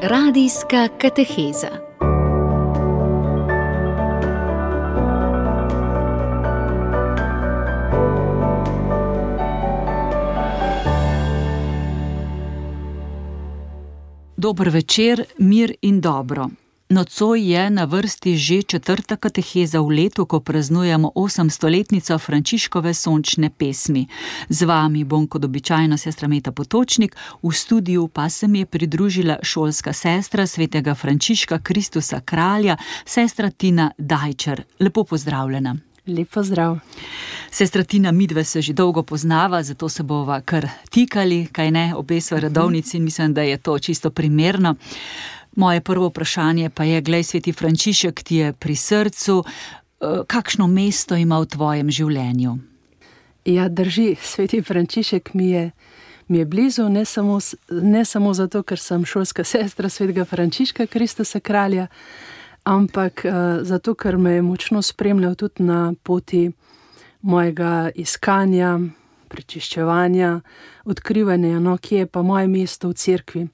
Radijska kateheza. Dober večer, mir in dobro. Nocoj je na vrsti že 4. kateheza v letu, ko praznujemo 800-letnico Frančiškove sončne pesmi. Z vami bom kot običajno sestra Meta Potočnik, v studiu pa se mi je pridružila šolska sestra svetega Frančiška Kristusa Kralja, sestra Tina Dajčar. Lepo pozdravljena. Lep pozdrav. Sestra Tina, midve se že dolgo poznava, zato se bova kar tikali, kaj ne, obe sva redovnici in mislim, da je to čisto primerno. Moje prvo vprašanje pa je, glej, sveti Frančišek ti je pri srcu, kakšno mesto ima v tvojem življenju? Ja, drži, sveti Frančišek mi je blizu, ne samo zato, ker sem šolska sestra svetega Frančiška Kristusa Kralja, ampak zato, ker me je močno spremljal tudi na poti mojega iskanja, prečiščevanja, odkrivanja, kje je pa moje mesto v cerkvi.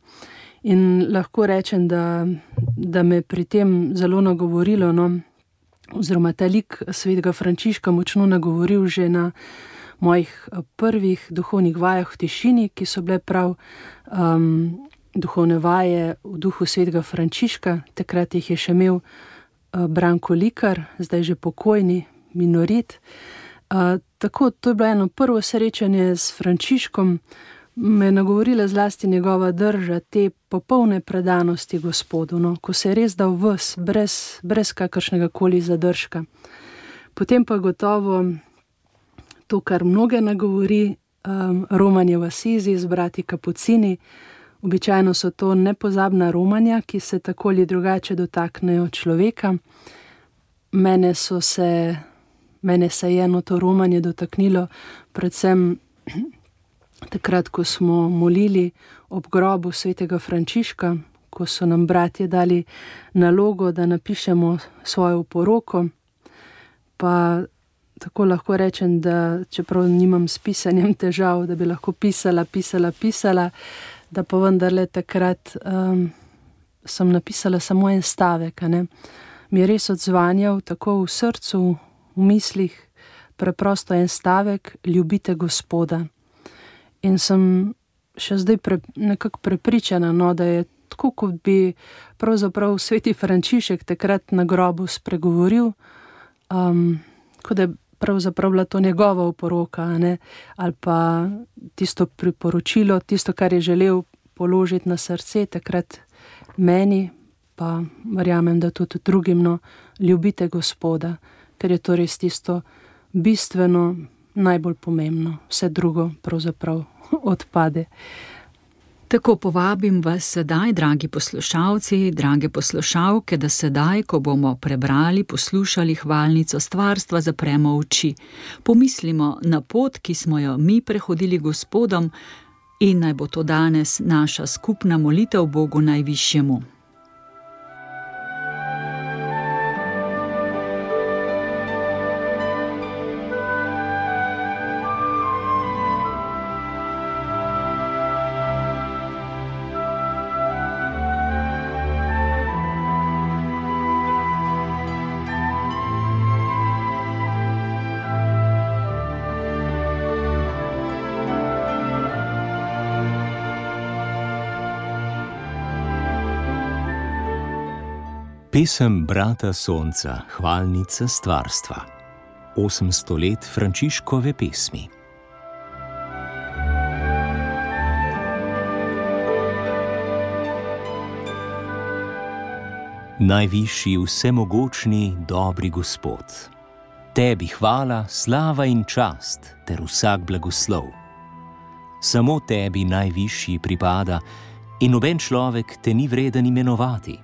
In lahko rečem, da me pri tem zelo nagovorilo, oziroma ta lik svetega Frančiška močno nagovoril že na mojih prvih duhovnih vajah v tišini, ki so bile prav duhovne vaje v duhu svetega Frančiška. Takrat jih je še imel Branko Likar, zdaj že pokojni minorit. Tako, to je bilo eno prvo srečanje s Frančiškom, me je nagovorila zlasti njegova drža, te popolne predanosti Gospodu, ko se je res dal ves, brez kakršnega koli zadržka. Potem pa gotovo to, kar mnoge nagovori, romanje v Asizi z brati Kapucini. Običajno so to nepozabna romanja, ki se tako ali drugače dotaknejo človeka. Mene se je eno to romanje dotaknilo predvsem takrat, ko smo molili ob grobu svetega Frančiška, ko so nam bratje dali nalogo, da napišemo svojo poroko, pa tako lahko rečem, da čeprav nimam s pisanjem težav, da bi lahko pisala, da pa vendarle takrat sem napisala samo en stavek, mi je res odzvanjal tako v srcu, v mislih, preprosto en stavek: ljubite Gospoda. In sem še zdaj nekako prepričana, da je tako, kot bi pravzaprav sveti Frančišek takrat na grobu spregovoril, kot da je pravzaprav bila to njegova oporoka, ali pa tisto priporočilo, tisto, kar je želel položiti na srce takrat meni, pa verjamem, da tudi drugim, ljubite Gospoda, ker je to res tisto bistveno, najbolj pomembno, vse drugo pravzaprav odpade. Tako povabim vas sedaj, dragi poslušalci, drage poslušalke, da sedaj, ko bomo prebrali, poslušali hvalnico stvarstva, zapremo oči. Pomislimo na pot, ki smo jo mi prehodili Gospodom, in naj bo to danes naša skupna molitev Bogu najvišjemu. Pesem brata Sonca, hvalnica stvarstva. 800 let Frančiškove pesmi. Najvišji, vsemogočni, dobri Gospod, tebi hvala, slava in čast ter vsak blagoslov. Samo tebi najvišji pripada in noben človek te ni vreden imenovati.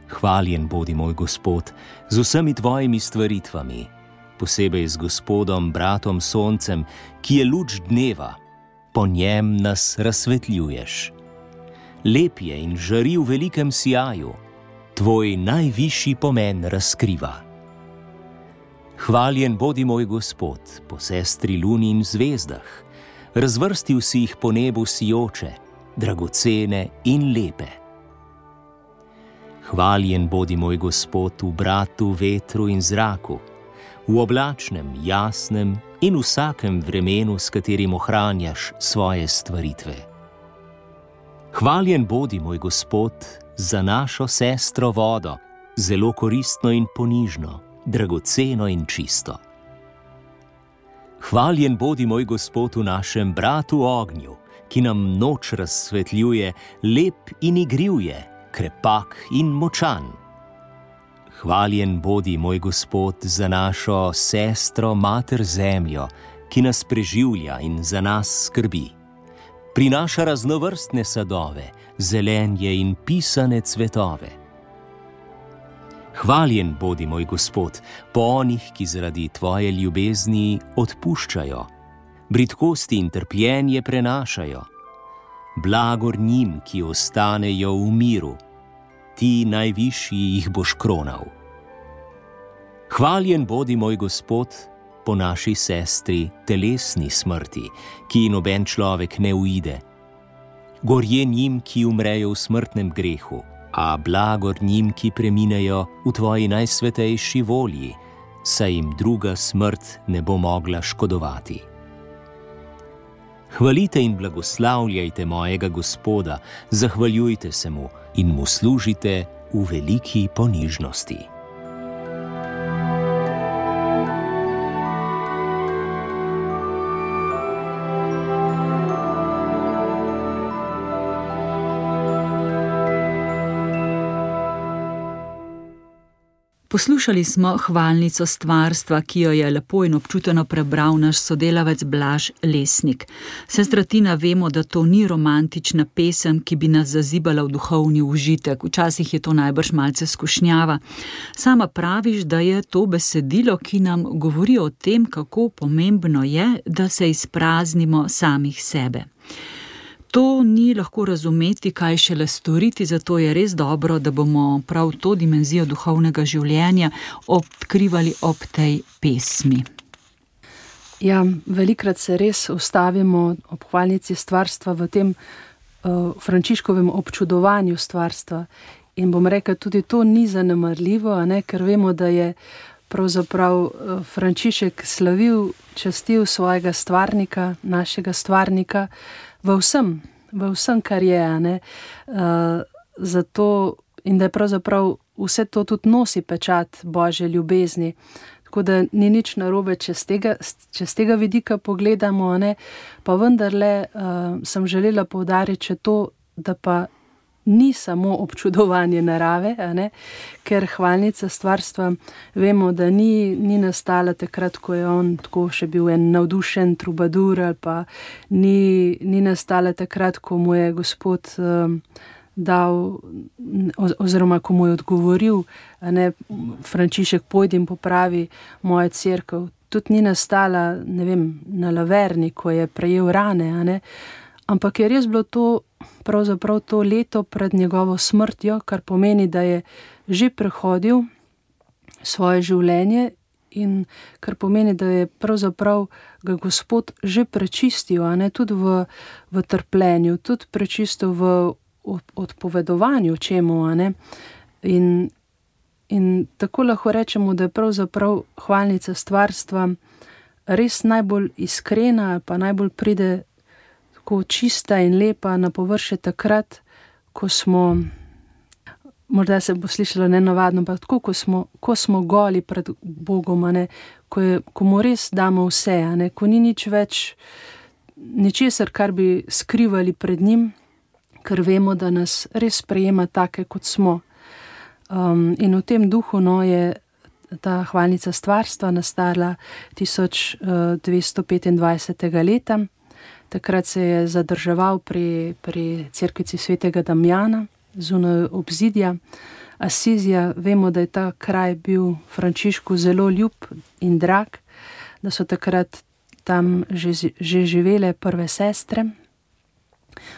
Hvaljen bodi moj Gospod z vsemi tvojimi stvaritvami, posebej z Gospodom, bratom Soncem, ki je luč dneva, po njem nas razsvetljuješ. Lep je in žari v velikem sijaju, tvoj najvišji pomen razkriva. Hvaljen bodi moj Gospod po sestri luni in zvezdah, razvrstil si jih po nebu sijoče, dragocene in lepe. Hvaljen bodi moj Gospod v bratu, vetru in zraku, v oblačnem, jasnem in vsakem vremenu, s katerim ohranjaš svoje stvaritve. Hvaljen bodi moj Gospod za našo sestro vodo, zelo koristno in ponižno, dragoceno in čisto. Hvaljen bodi moj Gospod v našem bratu ognju, ki nam noč razsvetljuje, lep in igriv je, krepak in močan. Hvaljen bodi moj Gospod za našo sestro mater zemljo, ki nas preživlja in za nas skrbi. Prinaša raznovrstne sadove, zelenje in pisane cvetove. Hvaljen bodi moj Gospod po onih, ki zaradi tvoje ljubezni odpuščajo, bridkosti in trpljenje prenašajo. Blagor njim, ki ostanejo v miru, ti najvišji jih boš kronal. Hvaljen bodi moj Gospod po naši sestri telesni smrti, ki noben človek ne uide. Gorje njim, ki umrejo v smrtnem grehu, a blagor njim, ki preminejo v tvoji najsvetejši volji, saj jim druga smrt ne bo mogla škodovati. Hvalite in blagoslavljajte mojega Gospoda, zahvaljujte se mu in mu služite v veliki ponižnosti. Poslušali smo hvalnico stvarstva, ki jo je lepo in občuteno prebral naš sodelavec Blaž Lesnik. Sestra Tina, vemo, da to ni romantična pesem, ki bi nas zazibala v duhovni užitek. Včasih je to najbrž malce skušnjava. Sama praviš, da je to besedilo, ki nam govori o tem, kako pomembno je, da se izpraznimo samih sebe. To ni lahko razumeti, kaj šele storiti, zato je res dobro, da bomo prav to dimenzijo duhovnega življenja odkrivali ob tej pesmi. Ja, velikrat se res ustavimo ob hvalnici stvarstva v tem Frančiškovem občudovanju stvarstva. In bom rekla, tudi to ni zanemarljivo, ker vemo, da je pravzaprav Frančišek slavil, častil svojega stvarnika, našega stvarnika, v vsem, kar je, zato in da je pravzaprav vse to tudi nosi pečat Božje ljubezni. Tako da ni nič narobe, če z tega vidika pogledamo, pa vendarle sem želela poudariti še to, da pa ni samo občudovanje narave, ker hvalnica stvarstva vemo, da ni nastala takrat, ko je on tako še bil en navdušen trubadur, ali pa ni nastala takrat, ko mu je Gospod dal, oziroma ko mu je odgovoril, Frančišek, pojdi in popravi mojo cerkev. Tudi ni nastala, na Laverni, ko je prejel rane, ampak je res bilo to pravzaprav to leto pred njegovo smrtjo, kar pomeni, da je že prehodil svoje življenje in kar pomeni, da je pravzaprav ga Gospod že prečistil, tudi v trpljenju, tudi prečistil v odpovedovanju čemu, in tako lahko rečemo, da je pravzaprav hvalnica stvarstva res najbolj iskrena, pa najbolj pride tako čista in lepa na površje takrat, ko smo, morda se bo slišalo nenavadno, pa tako, ko smo goli pred Bogom, ko mu res damo vse, ko ni nič več, ničesar, kar bi skrivali pred njim, ker vemo, da nas res sprejema take, kot smo. In v tem duhu je ta hvalnica stvarstva nastala 1225. leta. Takrat se je zadrževal pri cerkvici svetega Damjana, zunaj obzidja Asizija. Vemo, da je ta kraj bil Frančišku zelo ljub in drag, da so takrat tam že živele prve sestre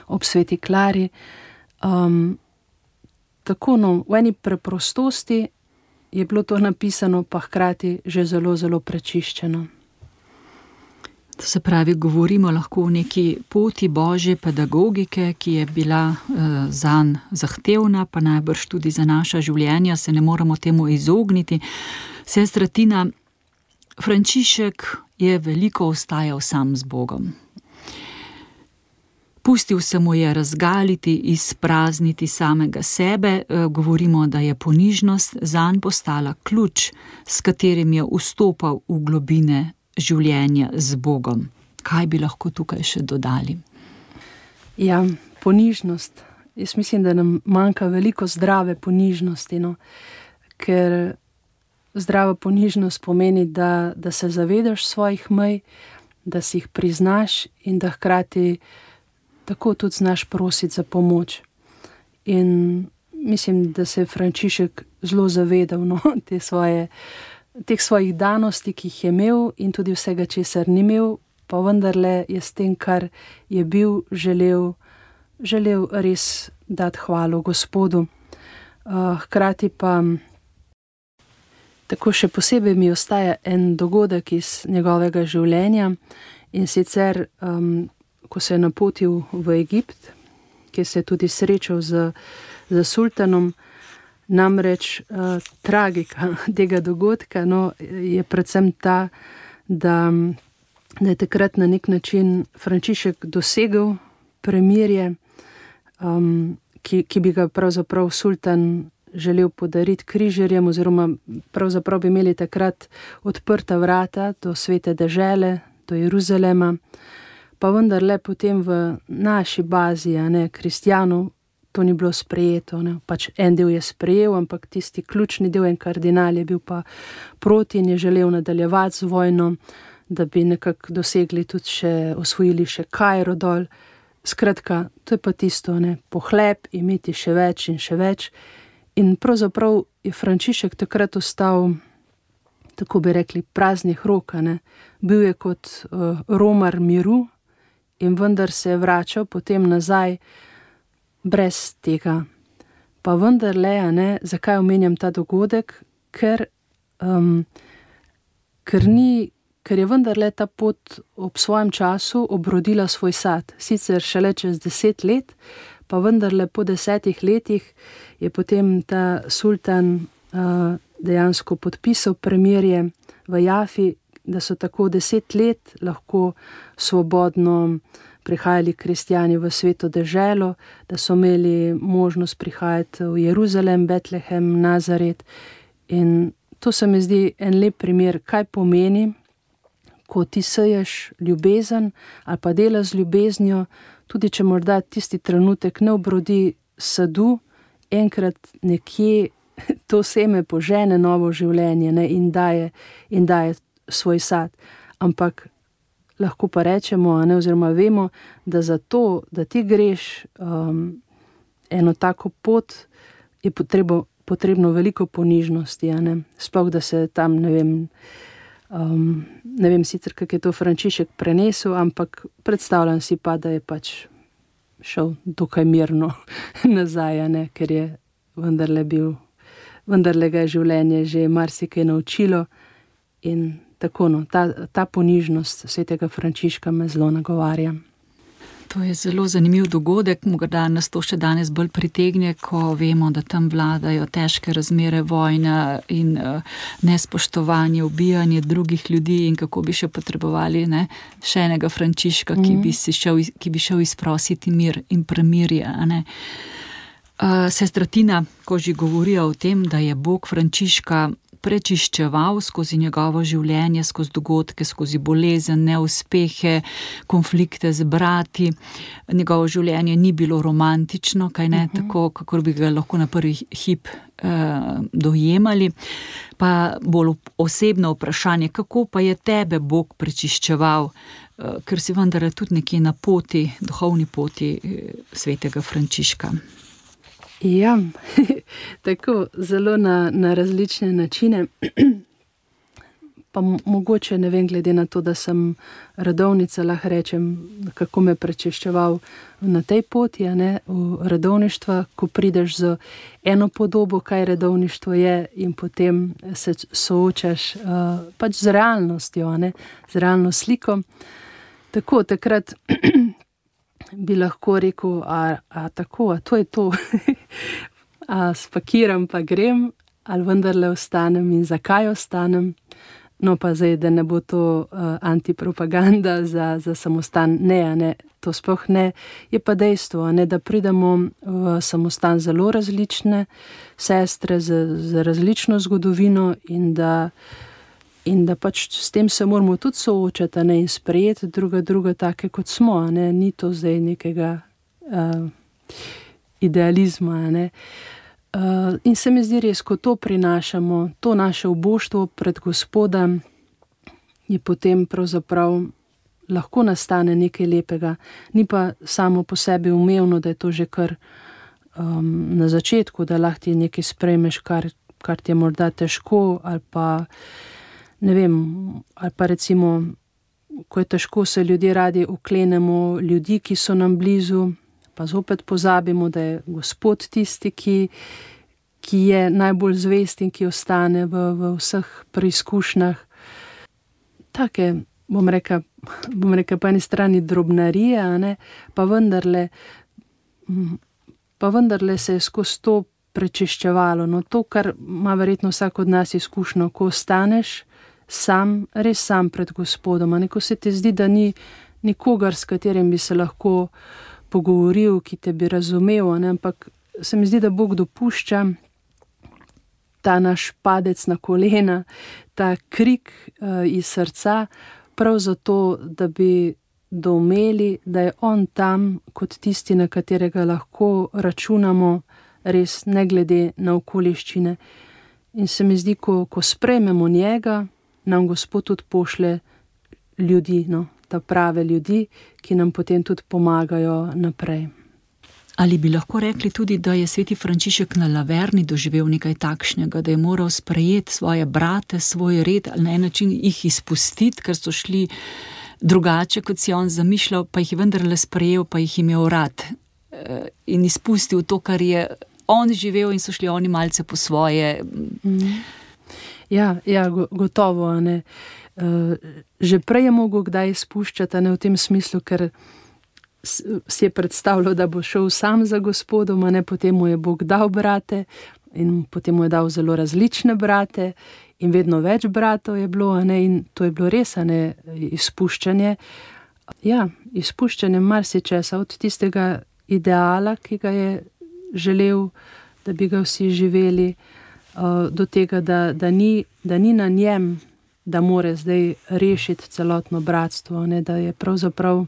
ob sveti Klari. Tako, v eni preprostosti je bilo to napisano, pa hkrati že zelo, zelo prečiščeno. To se pravi, govorimo lahko o neki poti božje pedagogike, ki je bila zanj zahtevna, pa najbrž tudi za naša življenja, se ne moremo temu izogniti. Sestra Tina, Frančišek je veliko ostajal sam z Bogom. Pustil se mu je razgaliti, izprazniti samega sebe, govorimo, da je ponižnost zanj postala ključ, s katerim je vstopal v globine življenja z Bogom. Kaj bi lahko tukaj še dodali? Ja, ponižnost. Jaz mislim, da nam manjka veliko zdrave ponižnosti, ker zdrava ponižnost pomeni, da se zavedaš svojih mej, da si jih priznaš in da hkrati tako tudi znaš prositi za pomoč. In mislim, da se je Frančišek zelo zavedal teh svojih danosti, ki jih je imel in tudi vsega, česar ni imel, pa vendarle je s tem, kar je bil, želel res dati hvalo Gospodu. Hkrati pa tako še posebej mi ostaja en dogodek iz njegovega življenja, in sicer ko se je napotil v Egipt, kjer se je tudi srečal z sultanom. Namreč tragika tega dogodka je predvsem ta, da je takrat na nek način Frančišek dosegel premirje, ki bi ga pravzaprav sultan želel podariti križarjem, oziroma pravzaprav bi imeli takrat odprta vrata do svete dežele, do Jeruzalema, pa vendarle potem v naši bazi, kristjanov, to ni bilo sprejeto. Pač en del je sprejel, ampak tisti ključni del, en kardinal, je bil pa proti in je želel nadaljevati z vojno, da bi nekako dosegli tudi še, osvojili še Kairo dol. Skratka, to je pa tisto, pohlep, imeti še več in še več. In pravzaprav je Frančišek takrat ostal, tako bi rekli, praznih rok. Bil je kot romar miru in vendar se je vračal potem nazaj brez tega. Pa vendarle, zakaj omenjam ta dogodek? Ker je vendarle ta pot ob svojem času obrodila svoj sad. Sicer šele čez 10 let, pa vendarle po 10 letih je potem ta sultan dejansko podpisal premirje v Jafi, da so tako 10 let lahko svobodno prihajali kristjani v sveto deželo, da so imeli možnost prihajati v Jeruzalem, Betlehem, Nazaret. In to se mi zdi en lep primer, kaj pomeni, ko ti seješ ljubezen ali pa delaš z ljubeznjo, tudi če morda tisti trenutek ne obrodi sadu, enkrat nekje to seme požene novo življenje in daje svoj sad. Ampak lahko pa rečemo, oziroma vemo, da za to, da ti greš eno tako pot, je potrebno veliko ponižnosti. Sploh, da se tam, ne vem sicer, kako je to Frančišek prenesel, ampak predstavljam si pa, da je pač šel dokaj mirno nazaj, ker je vendarle ga je življenje že marsikaj naučilo. In tako, ta ponižnost svetega Frančiška me zelo nagovarja. To je zelo zanimiv dogodek, morda nas to še danes bolj pritegne, ko vemo, da tam vladajo težke razmere, vojna in nespoštovanje, ubijanje drugih ljudi, in kako bi še potrebovali še enega Frančiška, ki bi šel izprositi mir in premirje. Sestra Tina, ko že govorijo o tem, da je Bog Frančiška prečiščeval skozi njegovo življenje, skozi dogodke, skozi bolezen, neuspehe, konflikte z brati. Njegovo življenje ni bilo romantično, tako, kakor bi ga lahko na prvi hip dojemali. Pa bolj osebno vprašanje, kako pa je tebe Bog prečiščeval, ker si vendar tudi nekje na poti, duhovni poti svetega Frančiška. Ja, tako zelo na različne načine, pa mogoče, ne vem, glede na to, da sem redovnica, lahko rečem, kako me prečiščeval na tej poti, v redovništva, ko prideš z eno podobo, kaj redovništvo je, in potem se soočaš pač z realnostjo, z realno sliko. Tako, takrat bi lahko rekel, tako, to je to, a spakiram pa grem, ali vendarle ostanem in zakaj ostanem. No pa zdaj, da ne bo to antipropaganda za samostan, ne, to sploh ne. Je pa dejstvo, ne, da pridemo v samostan zelo različne sestre z različno zgodovino in da pač s tem se moramo tudi soočati, ne, in sprejeti druga take, kot smo, ne. Ni to zdaj nekega idealizma, ne. In se mi zdi res, ko to prinašamo, to naše uboštvo pred Gospoda, je potem pravzaprav lahko nastane nekaj lepega. Ni pa samo po sebi umevno, da je to že kar na začetku, da lahko ti nekaj sprejmeš, kar ti je morda težko, ali pa ne vem, ali pa recimo, ko je težko, se ljudje radi oklenemo ljudi, ki so nam blizu, pa zopet pozabimo, da je Gospod tisti, ki je najbolj zvest in ki ostane v vseh preizkušnjah. Take, bom rekel, po eni strani drobnarije, ne, pa vendarle se je skozi to prečiščevalo. No, to, kar ima verjetno vsak od nas izkušnjo, ko ostaneš sam, res sam pred Gospodom, ne, ko se ti zdi, da ni nikogar, s katerim bi se lahko pogovoril, ki te bi razumel, ne, ampak se mi zdi, da Bog dopušča ta naš padec na kolena, ta krik iz srca, prav zato, da bi doumeli, da je on tam kot tisti, na katerega lahko računamo, res ne glede na okoliščine. In se mi zdi, ko sprejmemo njega, nam Gospod tudi pošlje ljudi, no, ta prave ljudi, ki nam potem tudi pomagajo naprej. Ali bi lahko rekli tudi, da je sveti Frančišek na Laverni doživel nekaj takšnega, da je moral sprejeti svoje brate, svoj red, ali na en način jih izpustiti, ker so šli drugače, kot si on zamišljal, pa jih je vendarle sprejel, pa jih imel rad in izpustil to, kar je on živel, in so šli oni malce po svoje. Ja, gotovo, ne. Že prej je mogel kdaj izpuščati, ne, v tem smislu, ker si je predstavljal, da bo šel sam za Gospodom, ne, potem mu je Bog dal brate in potem mu je dal zelo različne brate in vedno več bratov je bilo, ne, in to je bilo res, ne, izpuščanje. Ja, izpuščanje marsičesa, od tistega ideala, ki ga je želel, da bi ga vsi živeli, do tega, da ni na njem, da more zdaj rešiti celotno bratstvo, ne, da je pravzaprav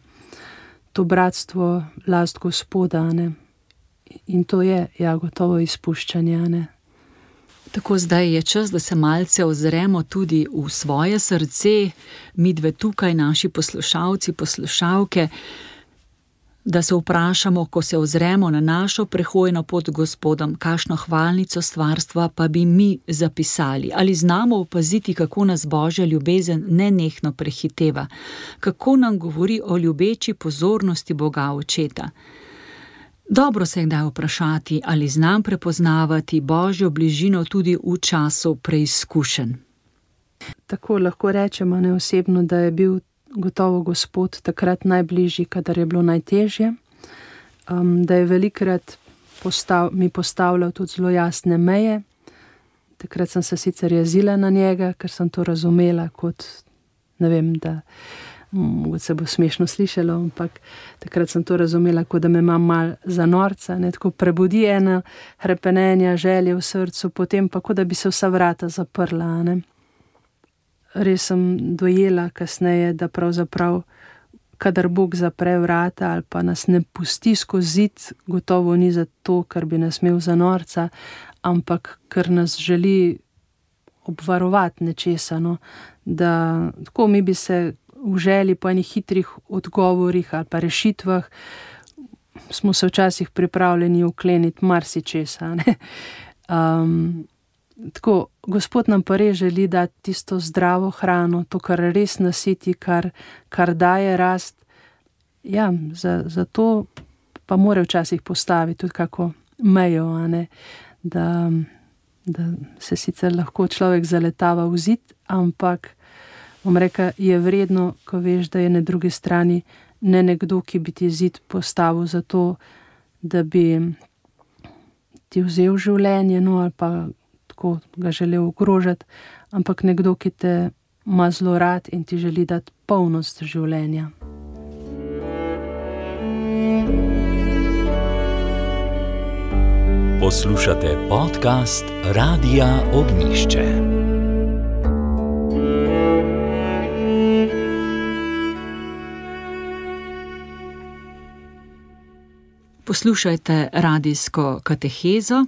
to bratstvo last Gospoda, ne. In to je, ja, gotovo izpuščanje, ne. Tako zdaj je čas, da se malce ozremo tudi v svoje srce, midve tukaj, naši poslušalci, poslušalke, da se vprašamo, ko se ozremo na našo prehojno pot Gospodom, kakšno hvalnico stvarstva pa bi mi zapisali. Ali znamo opaziti, kako nas Božja ljubezen nenehno prehiteva, kako nam govori o ljubeči pozornosti Boga Očeta. Dobro se je kdaj vprašati, ali znam prepoznavati Božjo bližino tudi v času preizkušenj. Tako lahko rečemo neosebno, da je bil gotovo Gospod takrat najbližji, kadar je bilo najtežje, da je velikrat mi postavljal tudi zelo jasne meje. Takrat sem se sicer jezila na njega, ker sem to razumela kot, ne vem, da mogoče se bo smešno slišalo, ampak takrat sem to razumela, kot da me imam mal za norca, ne, tako prebudi ena hrepenenja, želje v srcu, potem pa kot da bi se vsa vrata zaprla, ne. Res sem dojela kasneje, da pravzaprav, kadar Bog zapre vrata ali pa nas ne pusti skozi zid, gotovo ni zato, ker bi nas imel za norca, ampak ker nas želi obvarovati nečesa, no. Da tako mi bi se v želji po enih hitrih odgovorih ali pa rešitvah, smo se včasih pripravljeni ukleniti marsičesa, ne. Tako, Gospod nam pa res želi dati tisto zdravo hrano, to, kar res nasiti, kar daje rast. Ja, za to pa mora včasih postaviti tudi kako mejo, a ne, da se sicer lahko človek zaletava v zid, ampak bom rekel, je vredno, ko veš, da je na drugi strani ne nekdo, ki bi ti zid postavil za to, da bi ti vzel življenje, no, ali pa tako ga želel ogrožati, ampak nekdo, ki te ima zelo rad in ti želi dati polnost življenja. Poslušate podcast Radia Ognjišče. Poslušajte radijsko katehezo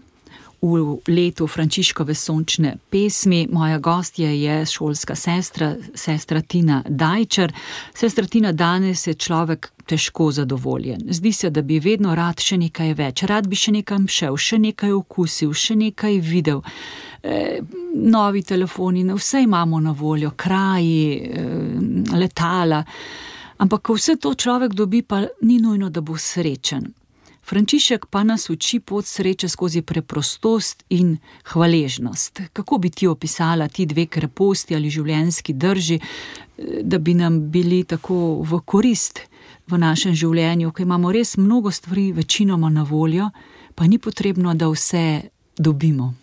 v letu Frančiškove sončne pesmi. Moja gostja je šolska sestra Tina Dajčar. Sestra Tina, danes je človek težko zadovoljen. Zdi se, da bi vedno rad še nekaj več. Rad bi še nekam šel, še nekaj okusil, še nekaj videl. Novi telefoni, vse imamo na voljo, kraji, letala. Ampak ko vse to človek dobi, pa ni nujno, da bo srečen. Frančišek pa nas uči pot sreče skozi preprostost in hvaležnost. Kako bi ti opisala ti dve kreposti ali življenjski drži, da bi nam bili tako v korist v našem življenju, ko imamo res mnogo stvari večinoma na voljo, pa ni potrebno, da vse dobimo.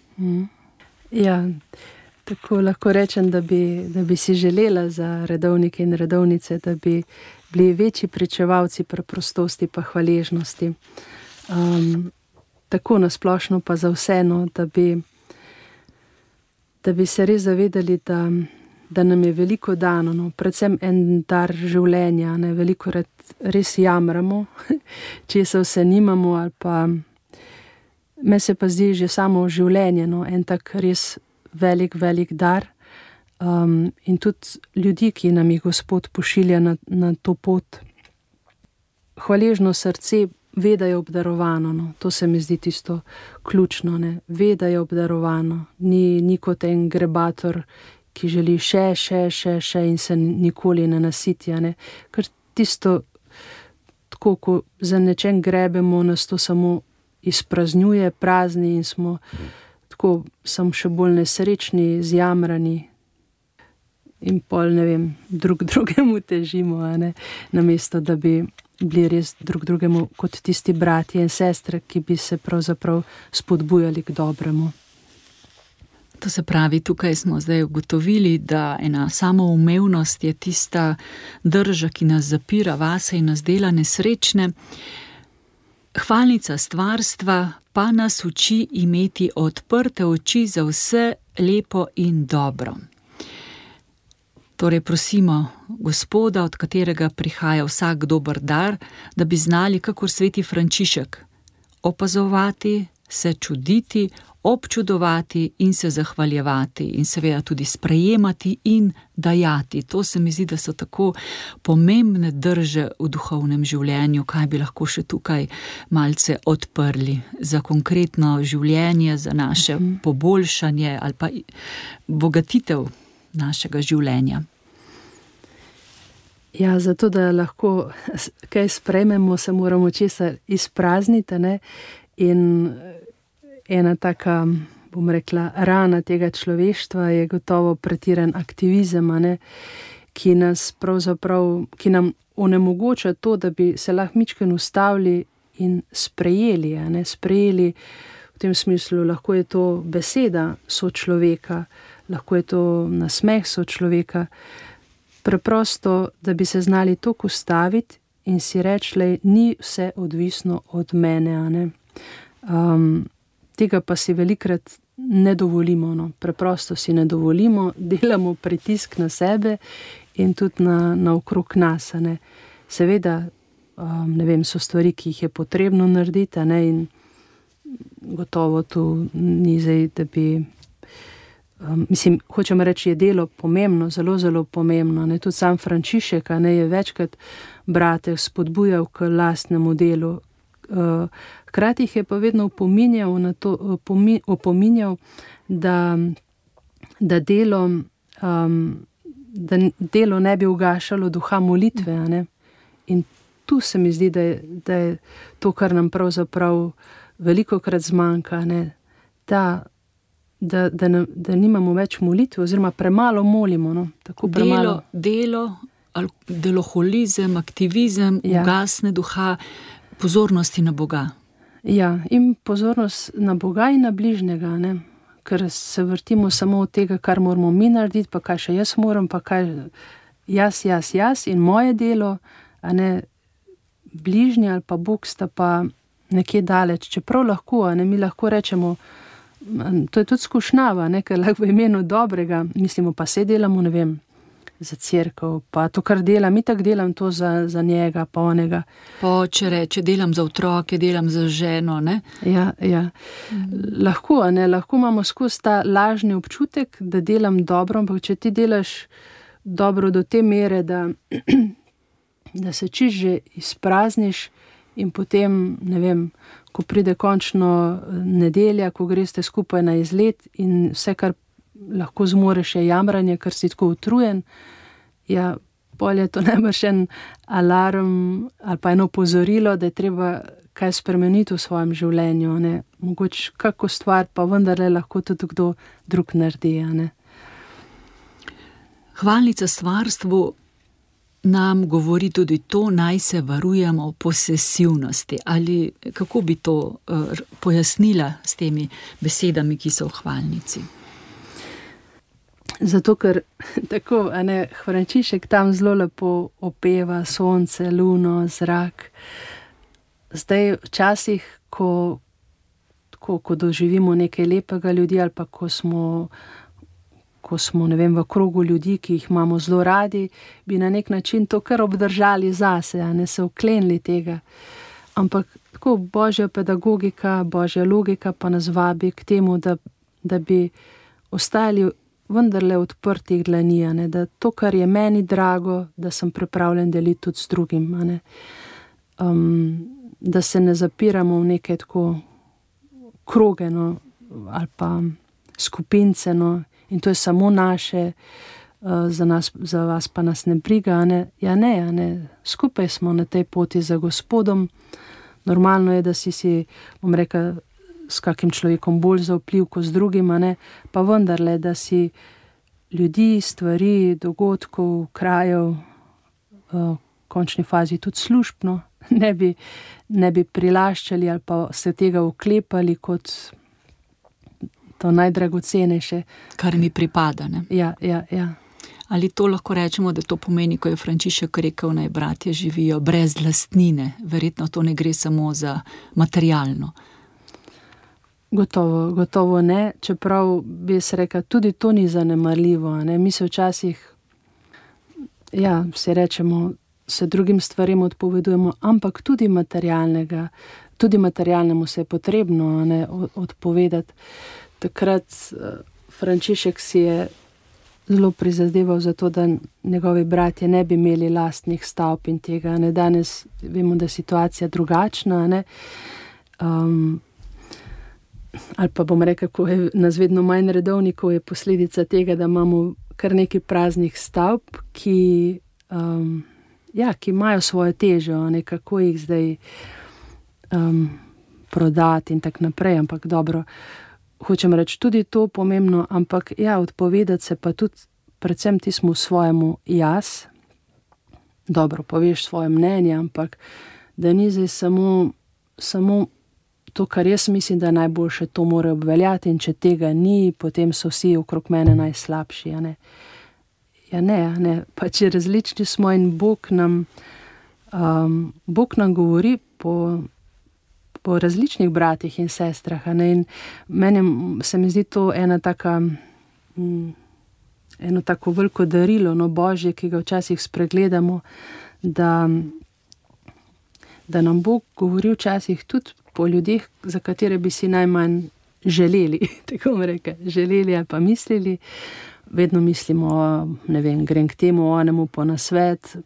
Ja, tako lahko rečem, da bi si želela za redovnike in redovnice, da bi bili večji pričevalci preprostosti pa hvaležnosti. Tako nasplošno pa za vseeno, da bi se res zavedali, da nam je veliko dano, no, predvsem en dar življenja, ne, veliko res jamramo, če se vse nimamo, ali pa me se pa zdi že samo življenje, no, en tak res velik dar. In tudi ljudi, ki nam jih Gospod pošilja na to pot. Hvaležno srce ve, da je obdarovano, no. To se mi zdi tisto ključno, ne. Ve, da je obdarovano. Ni kot en grebator, ki želi še in se nikoli ne nasiti, ne. Ker tisto, tako ko za nečem grebemo, nas to samo izpraznjuje, prazni in smo tako samo še bolj nesrečni, zjamrani. In pol, ne vem, drugemu težimo, ne, namesto da bi bili res drugemu kot tisti bratje in sestre, ki bi se pravzaprav spodbujali k dobremu. To se pravi, tukaj smo zdaj ugotovili, da ena samoumevnost je tista drža, ki nas zapira vase in nas dela nesrečne. Hvalnica stvarstva pa nas uči imeti odprte oči za vse lepo in dobro. Torej prosimo Gospoda, od katerega prihaja vsak dober dar, da bi znali, kakor sveti Frančišek, opazovati, se čuditi, občudovati in se zahvaljevati in seveda tudi sprejemati in dajati. To se mi zdi, da so tako pomembne drže v duhovnem življenju, kaj bi lahko še tukaj malce odprli za konkretno življenje, za naše poboljšanje ali pa bogatitev našega življenja. Ja, zato da lahko kaj sprejmemo, se moramo česa izprazniti, ne? In ena taka, bom rekla, rana tega človeštva je gotovo pretiran aktivizem, ne? Ki nam onemogoča to, da bi se lahko mičken ustavili in sprejeli, ne? Sprejeli v tem smislu, lahko je to beseda sočloveka, lahko je to nasmeh sočloveka, preprosto, da bi se znali toliko ustaviti in si reči, ni vse odvisno od mene, ne? Tega pa si velikrat ne dovolimo, no? Preprosto si ne dovolimo, delamo pritisk na sebe in tudi na okrog nas, ne? Seveda, ne vem, so stvari, ki jih je potrebno narediti, ne? In gotovo tu ni zdaj, da bi hočem reči, je delo pomembno, zelo, zelo pomembno, ne, tudi sam Frančišek, ne, je večkrat brate spodbujal k lastnemu delu. Hkrati jih je pa vedno opominjal, da delo ne bi ugašalo duha molitve, ne. In tu se mi zdi, da je to, kar nam pravzaprav velikokrat zmanjka, ne, ta da nimamo več molitve, oziroma premalo molimo. No? Tako premalo. Deloholizem, aktivizem, ugasne duha, pozornosti na Boga. Ja, in pozornost na Boga in na bližnjega, ne? Ker se vrtimo samo od tega, kar moramo mi narediti, pa kaj še jaz moram, pa kaj jaz in moje delo, a ne bližnji ali pa Bog sta pa nekje daleč. Čeprav lahko, a ne, mi lahko rečemo, to je tudi skušnjava, ne, ker lahko v imenu dobrega, mislimo pa se delamo, ne vem, za cerkev, pa to, kar delam, itak delam to za njega, pa onega. Pa če reče, delam za otroke, delam za ženo, ne? Ja. Lahko, a ne, lahko imamo skozi ta lažni občutek, da delam dobro, ampak če ti delaš dobro do te mere, da se čisto že izprazniš in potem, ne vem, ko pride končno nedelja, ko greste skupaj na izlet in vse, kar lahko zmoreš, je jamranje, ker si tako utrujen, ja, pol je to najbrž en alarm ali pa eno opozorilo, da je treba kaj spremeniti v svojem življenju, ne. Mogoče kako stvar pa vendarle lahko tudi kdo drug naredi, ne. Hvalnica stvarstvu nam govori tudi to, naj se varujemo posesivnosti. Ali kako bi to pojasnila s temi besedami, ki so v hvalnici? Zato, ker tako, a ne, Frančišek tam zelo lepo opeva sonce, luno, zrak. Zdaj, včasih, ko doživimo nekaj lepega ljudi ali pa ko smo, ne vem, v krogu ljudi, ki jih imamo zelo radi, bi na nek način to kar obdržali zase, a ne se oklenili tega. Ampak tako božja pedagogika, božja logika pa nas vabi k temu, da bi ostali vendarle odprtih dlani, a ne, da to, kar je meni drago, da sem pripravljen deliti tudi s drugim, a ne. Da se ne zapiramo v neke tako kroge, no, ali pa skupince, no, in to je samo naše, za vas pa nas ne briga, a ne. Ja ne, a ne, skupaj smo na tej poti za Gospodom. Normalno je, da si, bom rekel, s kakim človekom bolj zaupljiv kot z drugim, a ne, pa vendarle, da si ljudi, stvari, dogodkov, krajev, v končni fazi tudi službno, ne bi prilaščali ali pa se tega oklepali kot to najdragocenejše. Kar mi pripada, ne? Ja. Ali to lahko rečemo, da to pomeni, ko je Frančišek rekel, naj bratje živijo brez lastnine? Verjetno to ne gre samo za materialno. Gotovo ne, čeprav bi se rekla, tudi to ni zanemarljivo, ne? Mi se včasih, ja, si rečemo, se drugim stvarem odpovedujemo, ampak tudi materialnemu se je potrebno, ne, odpovedati. Takrat Frančišek si je zelo prizadeval za to, da njegovi bratje ne bi imeli lastnih stavb in tega, ne. Danes vemo, da je situacija drugačna, ne. Ali pa bom rekel, ko je nas vedno manj redovnikov, je posledica tega, da imamo kar nekaj praznih stavb, ki imajo svojo težo, ne, kako jih zdaj prodati in tako naprej, ampak dobro, hočem reči, tudi to pomembno, ampak ja, odpovedati se pa tudi predvsem tismu svojemu jaz, dobro, poveš svoje mnenje, ampak da ni zdaj samo to, kar jaz mislim, da najboljše, to mora obveljati in če tega ni, potem so vsi okrog mene najslabši, a ne. Ja ne, pa če različni smo in Bog nam govori po različnih bratih in sestrah, a ne, in meni se mi zdi to eno tako veliko darilo, no, Božje, ki ga včasih spregledamo, da nam Bog govori včasih tudi po ljudeh, za katere bi si najmanj želeli, tako bom rekel, želeli ali pa mislili. Vedno mislimo, ne vem, grem k temu, onemu po nasvet,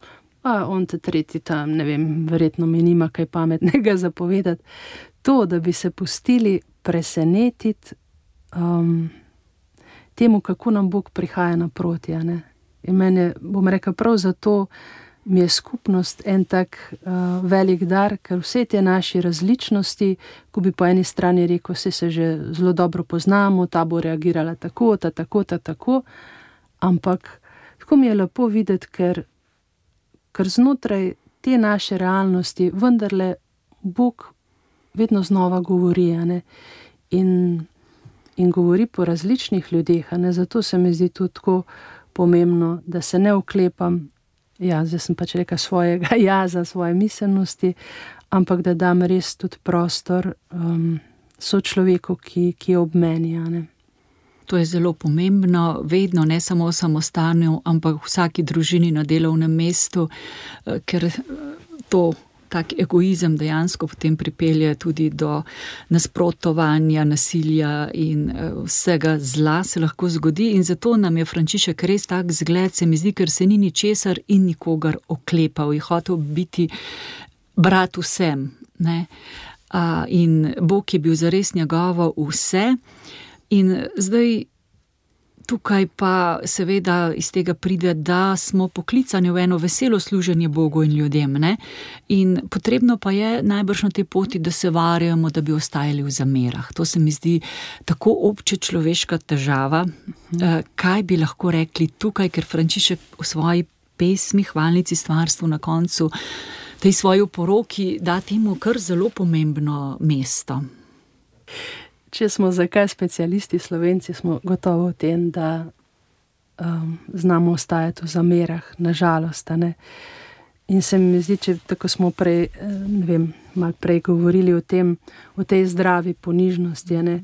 pa on te tretji tam, ne vem, verjetno mi nima kaj pametnega zapovedati. To, da bi se pustili presenetiti temu, kako nam Bog prihaja naproti, a ne. In meni, bom rekel, prav zato mi je skupnost en tak velik dar, ker vse te naše različnosti, ko bi po eni strani rekel, vse se že zelo dobro poznamo, ta bo reagirala tako, ta tako, ampak tako mi je lepo videti, ker znotraj te naše realnosti vendarle Bog vedno znova govori, ne? In govori po različnih ljudeh, ne? Zato se mi zdi tudi tako pomembno, da se ne oklepam, zdaj sem pač rekel svojega jaza, svoje miselnosti, ampak da dam res tudi prostor sočloveku, ki je ob meni, ne? To je zelo pomembno, vedno, ne samo v samostanju, ampak v vsaki družini na delovnem mestu, ker to tak egoizem dejansko potem pripelje tudi do nasprotovanja, nasilja in vsega zla se lahko zgodi in zato nam je Frančišek res tak zgled, se mi zdi, ker se ni ničesar in nikogar oklepal, je hotel biti brat vsem, ne? In Bog je bil zares njegovo vse. In zdaj tukaj pa seveda iz tega pride, da smo poklicani v eno veselo služenje Bogu in ljudem, ne? In potrebno pa je najbrž na tej poti, da se varjamo, da bi ostajali v zamerah. To se mi zdi tako obče človeška težava. Kaj bi lahko rekli tukaj, ker Frančišek v svoji pesmi, hvalnici stvarstvu na koncu, tej svoji oporoki da temu kar zelo pomembno mesto. Če smo zakaj specialisti Slovenci, smo gotovo v tem, da znamo ostajati v zamerah, nažalost, ne. In se mi zdi, če tako smo prej, malo prej govorili o tem, o tej zdravi ponižnosti, ne.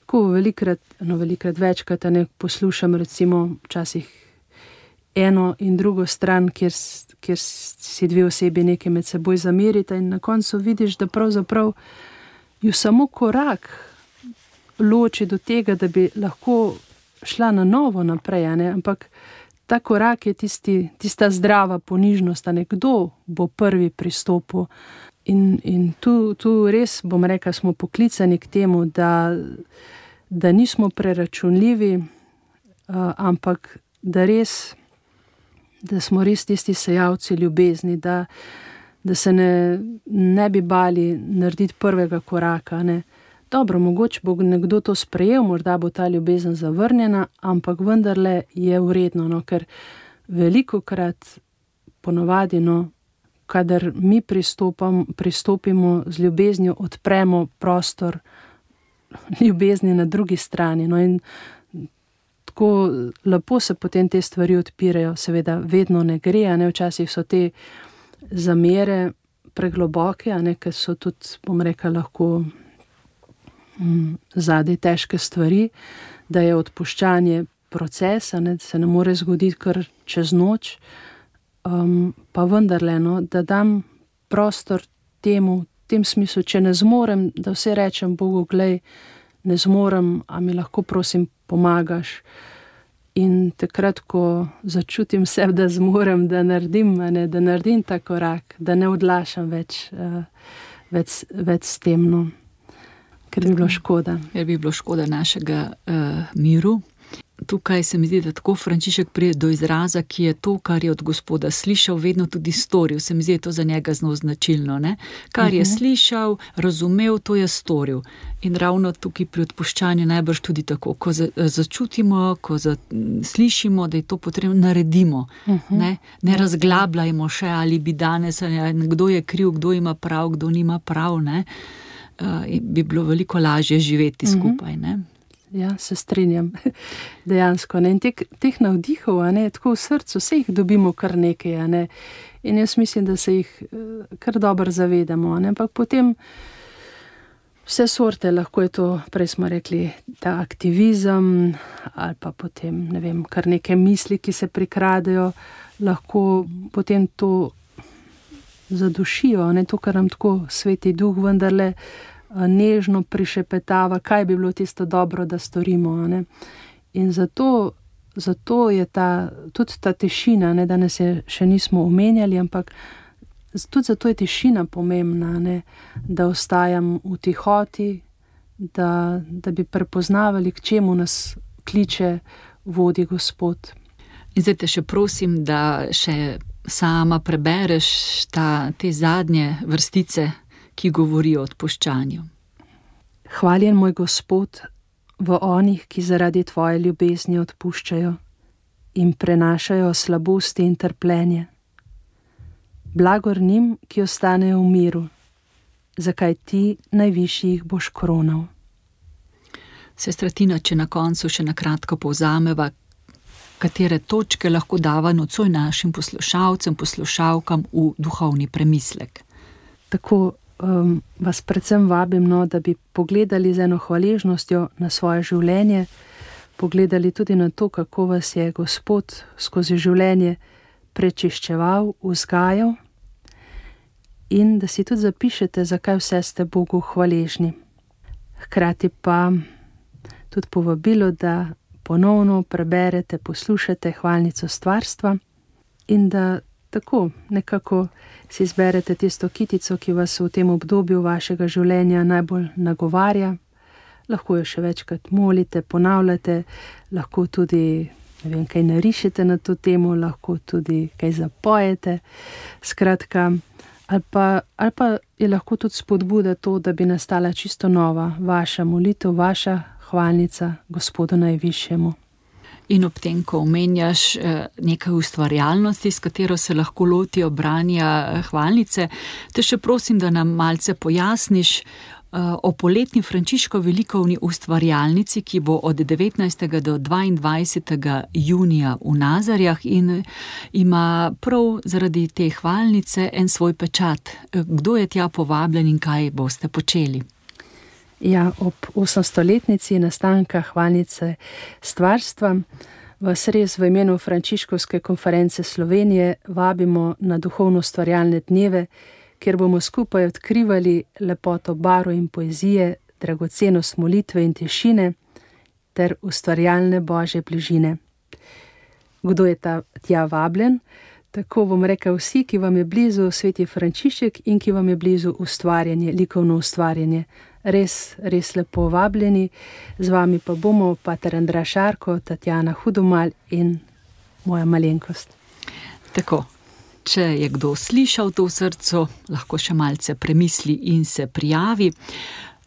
Ko velikrat večkrat, ne, poslušam recimo včasih eno in drugo stran, kjer si dve osebi nekaj med seboj zamerita in na koncu vidiš, da pravzaprav ju samo korak loči do tega, da bi lahko šla na novo naprej, ne? Ampak ta korak je tista zdrava ponižnost, ne? Kdo bo prvi pristopil. In tu res, bom rekla, smo poklicani k temu, da nismo preračunljivi, ampak da smo res tisti sejalci ljubezni, da se ne bi bali narediti prvega koraka, ne? Dobro, mogoče bo nekdo to sprejel, morda bo ta ljubezen zavrnjena, ampak vendarle je vredno, no, ker velikokrat ponovadi, no, kadar mi pristopimo z ljubeznijo, odpremo prostor ljubezni na drugi strani, no, in tako lepo se potem te stvari odpirajo, seveda vedno ne gre, ne, včasih so te zamere pregloboke, ne, ker so tudi, bom rekla, lahko zadaj težke stvari, da je odpuščanje procesa, ne, da se ne more zgoditi kar čez noč, pa vendarle, no, da dam prostor temu, v tem smislu, če ne zmorem, da vse rečem Bogu, glej, ne zmorem, a mi lahko prosim pomagaš. In takrat, ko začutim se, da zmorem, da naredim ta korak, da ne odlašam več s tem, no. Ker bi bilo škoda. Ker bi bilo škoda našega miru. Tukaj se mi zdi, da tako Frančišek pride do izraza, ki je to, kar je od Gospoda slišal, vedno tudi storil. Se mi zdi, to za njega zelo značilno, ne? Kar je slišal, razumel, to je storil. In ravno tukaj pri odpuščanju najbrž tudi tako, ko začutimo, ko slišimo, da je to potrebno, naredimo. Ne razglabljajmo še, ali bi danes, ali kdo je kriv, kdo ima prav, kdo nima prav, ne? Bi bilo veliko lažje živeti skupaj, ne? Ja, se strinjam, dejansko, ne, in teh navdihov, ne, tako v srcu, vse jih dobimo kar nekaj, ne, in jaz mislim, da se jih kar dobro zavedamo, ne, ampak potem vse sorte, lahko je to, prej smo rekli, ta aktivizem, ali pa potem, ne vem, kar neke misli, ki se prikradejo, lahko potem to zadušijo, ne, to, kar nam tako Sveti Duh vendarle nežno prišepetava, kaj bi bilo tisto dobro, da storimo, ne. In zato je tudi ta tišina, ne, danes je še nismo omenjali, ampak tudi zato je tišina pomembna, ne, da ostajam v tihoti, da bi prepoznavali, k čemu nas kliče, vodi Gospod. In zdaj te še prosim, da še sama prebereš te zadnje vrstice, ki govorijo o odpuščanju. Hvaljen moj Gospod v onih, ki zaradi tvoje ljubezni odpuščajo in prenašajo slabosti in trpljenje. Blagor njim, ki ostanejo v miru, zakaj ti najvišji jih boš kronal. Sestra Tina, če na koncu še na kratko povzameva, katere točke lahko dava nocoj našim poslušalcem, poslušalkam v duhovni premislek. Tako vas predvsem vabim, da bi pogledali z eno hvaležnostjo na svoje življenje, pogledali tudi na to, kako vas je Gospod skozi življenje prečiščeval, vzgajal, in da si tudi zapišete, zakaj vse ste Bogu hvaležni. Hkrati pa tudi povabilo, da ponovno preberete, poslušate hvalnico stvarstva in da tako nekako si izberete tisto kitico, ki vas v tem obdobju vašega življenja najbolj nagovarja. Lahko jo še večkrat molite, ponavljate, lahko tudi kaj narišete na to temo, lahko tudi kaj zapojete. Skratka, ali pa je lahko tudi spodbuda to, da bi nastala čisto nova vaša molitev, vaša hvalnica Gospodu najvišjemu. In ob tem, ko omenjaš nekaj ustvarjalnosti, s katero se lahko lotijo branja hvalnice, te še prosim, da nam malce pojasniš o poletni Frančiškovi likovni ustvarjalnici, ki bo od 19. do 22. junija v Nazarjah in ima prav zaradi te hvalnice en svoj pečat. Kdo je tja povabljen in kaj boste počeli? Ja, ob 800-letnici nastanka hvalnice stvarstva vas res v imenu Frančiškovske konference Slovenije vabimo na duhovno ustvarjalne dneve, kjer bomo skupaj odkrivali lepoto barv in poezije, dragocenost molitve in tišine ter ustvarjalne Božje bližine. Kdo je tja vabljen? Tako bom rekel, vsi, ki vam je blizu sveti Frančišek in ki vam je blizu ustvarjanje, likovno ustvarjanje. Res lepo vabljeni, z vami pa bomo pater Andraž Arko, Tatjana Hudomalj in moja malenkost. Tako, če je kdo slišal to v srcu, lahko še malce premisli in se prijavi.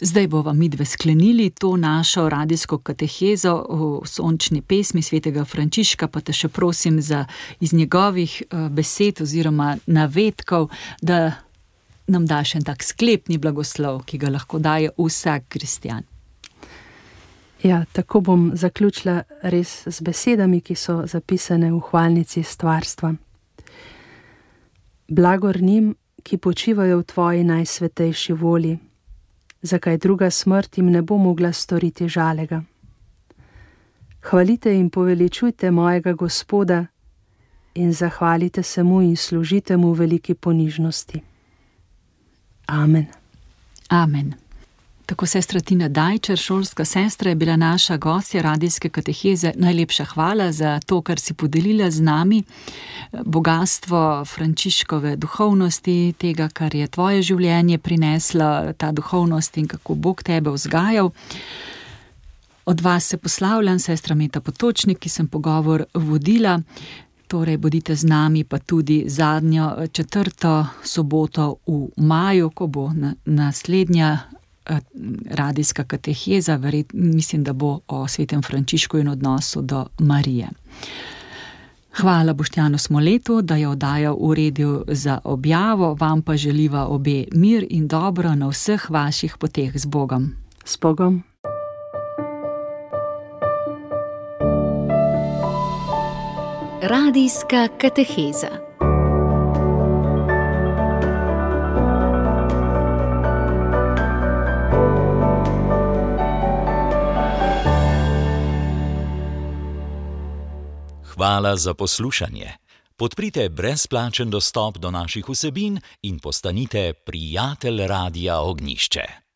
Zdaj bova midve sklenili to našo radijsko katehezo v sončni pesmi svetega Frančiška, pa te še prosim iz njegovih besed oziroma navedkov, da nam daš en tak sklepni blagoslov, ki ga lahko daje vsak kristjan. Ja, tako bom zaključila res z besedami, ki so zapisane v hvalnici stvarstva. Blagor njim, ki počivajo v tvoji najsvetejši volji, zakaj druga smrt jim ne bo mogla storiti žalega. Hvalite in poveličujte mojega Gospoda in zahvalite se mu in služite mu v veliki ponižnosti. Amen. Amen. Tako sestra Tina Dajčer, šolska sestra, je bila naša gostja radijske kateheze. Najlepša hvala za to, kar si podelila z nami. Bogastvo Frančiškove duhovnosti, tega, kar je tvoje življenje prinesla, ta duhovnost in kako Bog tebe vzgajal. Od vas se poslavljam, sestra Meta Potočnik, ki sem pogovor vodila. Torej, bodite z nami pa tudi zadnjo 4. soboto v maju, ko bo naslednja radijska kateheza, mislim, da bo o svetem Frančišku in odnosu do Marije. Hvala Boštjanu Smoletu, da je oddajal v redu za objavo, vam pa želiva obe mir in dobro na vseh vaših poteh z Bogom. S Bogom. Radijska kateheza. Hvala za poslušanje. Podprite brezplačen dostop do naših vsebin in postanite prijatelj Radia Ognjišče.